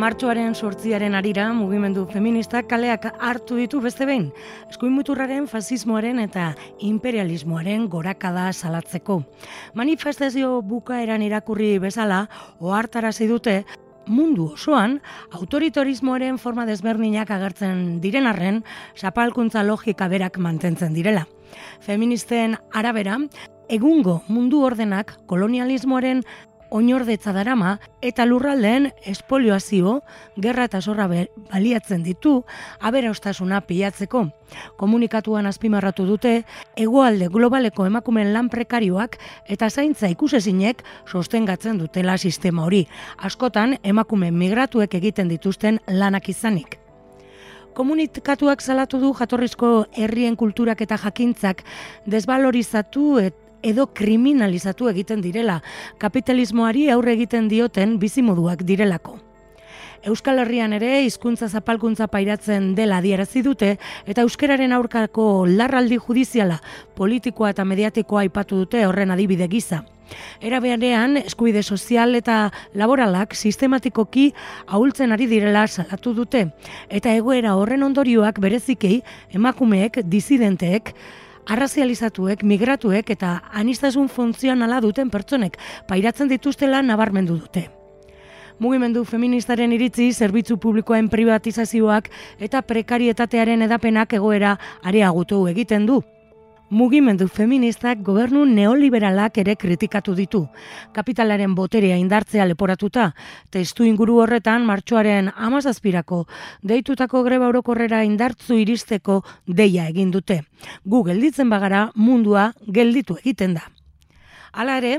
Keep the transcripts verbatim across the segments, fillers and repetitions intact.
Martxoaren sortziaren arira mugimendu feministak kaleak hartu ditu beste behin, eskuinmuturraren, fasismoaren eta imperialismoaren gorakada salatzeko. Manifestazio bukaeran irakurri bezala, ohartarazi dute mundu osoan autoritarismoaren forma desberdinak agertzen diren arren, zapalkuntza logika berak mantentzen direla. Feministen arabera, egungo mundu ordenak kolonialismoaren oinordetza darama eta lurraldeen espoliazio, gerra eta zorra baliatzen ditu aberastasuna pilatzeko. Komunikatuan azpimarratu dute hegoalde globaleko emakumeen lan prekarioak eta zaintza ikusezinek sostengatzen dutela sistema hori, askotan emakume migratuek egiten dituzten lanak izanik. Komunikatuak salatu du jatorrizko herrien kulturak eta jakintzak desbalorizatu eta edo kriminalizatu egiten direla, kapitalismoari aurre egiten dioten bizimoduak direlako. Euskal Herrian ere hizkuntza zapalkuntza pairatzen dela adierazi dute eta euskararen aurkako larraldi judiziala, politikoa eta mediatikoa aipatu dute horren adibide gisa. Era berean, eskubide sozial eta laboralak sistematikoki ahultzen ari direla salatu dute eta egoera horren ondorioak berezikei emakumeek, disidenteek, arrazializatuek, migratuek eta aniztasun funtzionala duten pertsonek pairatzen dituztela nabarmendu dute. Mugimendu feministaren iritzi, zerbitzu publikoen privatizazioak eta prekarietatearen edapenak egoera areagotu egiten du. Mugimendu feministak gobernu neoliberalak ere kritikatu ditu. Kapitalaren boterea indartzea leporatuta, testu inguru horretan martxoaren hamazazpirako deitutako greba orokorrera indartzu iristeko deia egin dute. Gu gelditzen bagara mundua gelditu egiten da. Hala ere,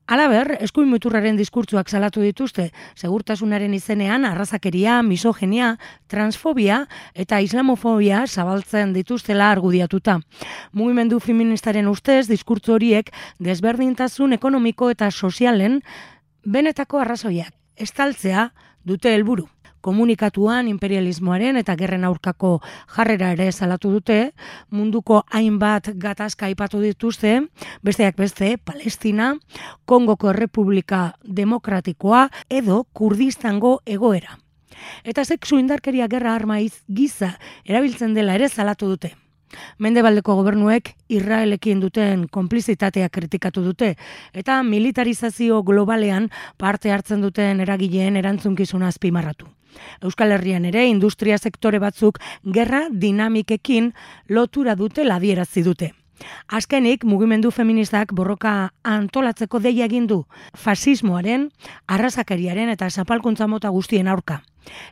halaber, eskuinmuturraren diskurtzuak salatu dituzte, segurtasunaren izenean arrazakeria, misogenia, transfobia eta islamofobia zabaltzen dituztela argudiatuta. Mugimendu feministaren ustez, diskurtzu horiek desberdintasun ekonomiko eta sozialen benetako arrazoiak estaltzea dute helburu. Komunikatuan imperialismoaren eta gerren aurkako jarrera ere salatu dute, munduko hainbat gatazka aipatu dituzte, besteak beste Palestina, Kongoko Errepublika Demokratikoa edo Kurdistango egoera. Eta sexu indarkeria gerra arma giza erabiltzen dela ere salatu dute. Mendebaldeko gobernuek Israelekin duten konplizitatea kritikatu dute eta militarizazio globalean parte hartzen duten eragileen erantzunkizuna azpimarratu. Euskal Herrian ere industria sektore batzuk gerra dinamikekin lotura dutela adierazi dute. Azkenik, mugimendu feministak borroka antolatzeko deia egin du, fasismoaren, arrazakeriaren eta zapalkuntza mota guztien aurka.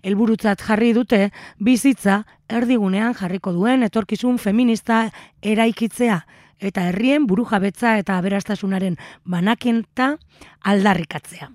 Helburutzat jarri dute bizitza erdigunean jarriko duen etorkizun feminista eraikitzea eta herrien burujabetza eta aberastasunaren banaketa aldarrikatzea.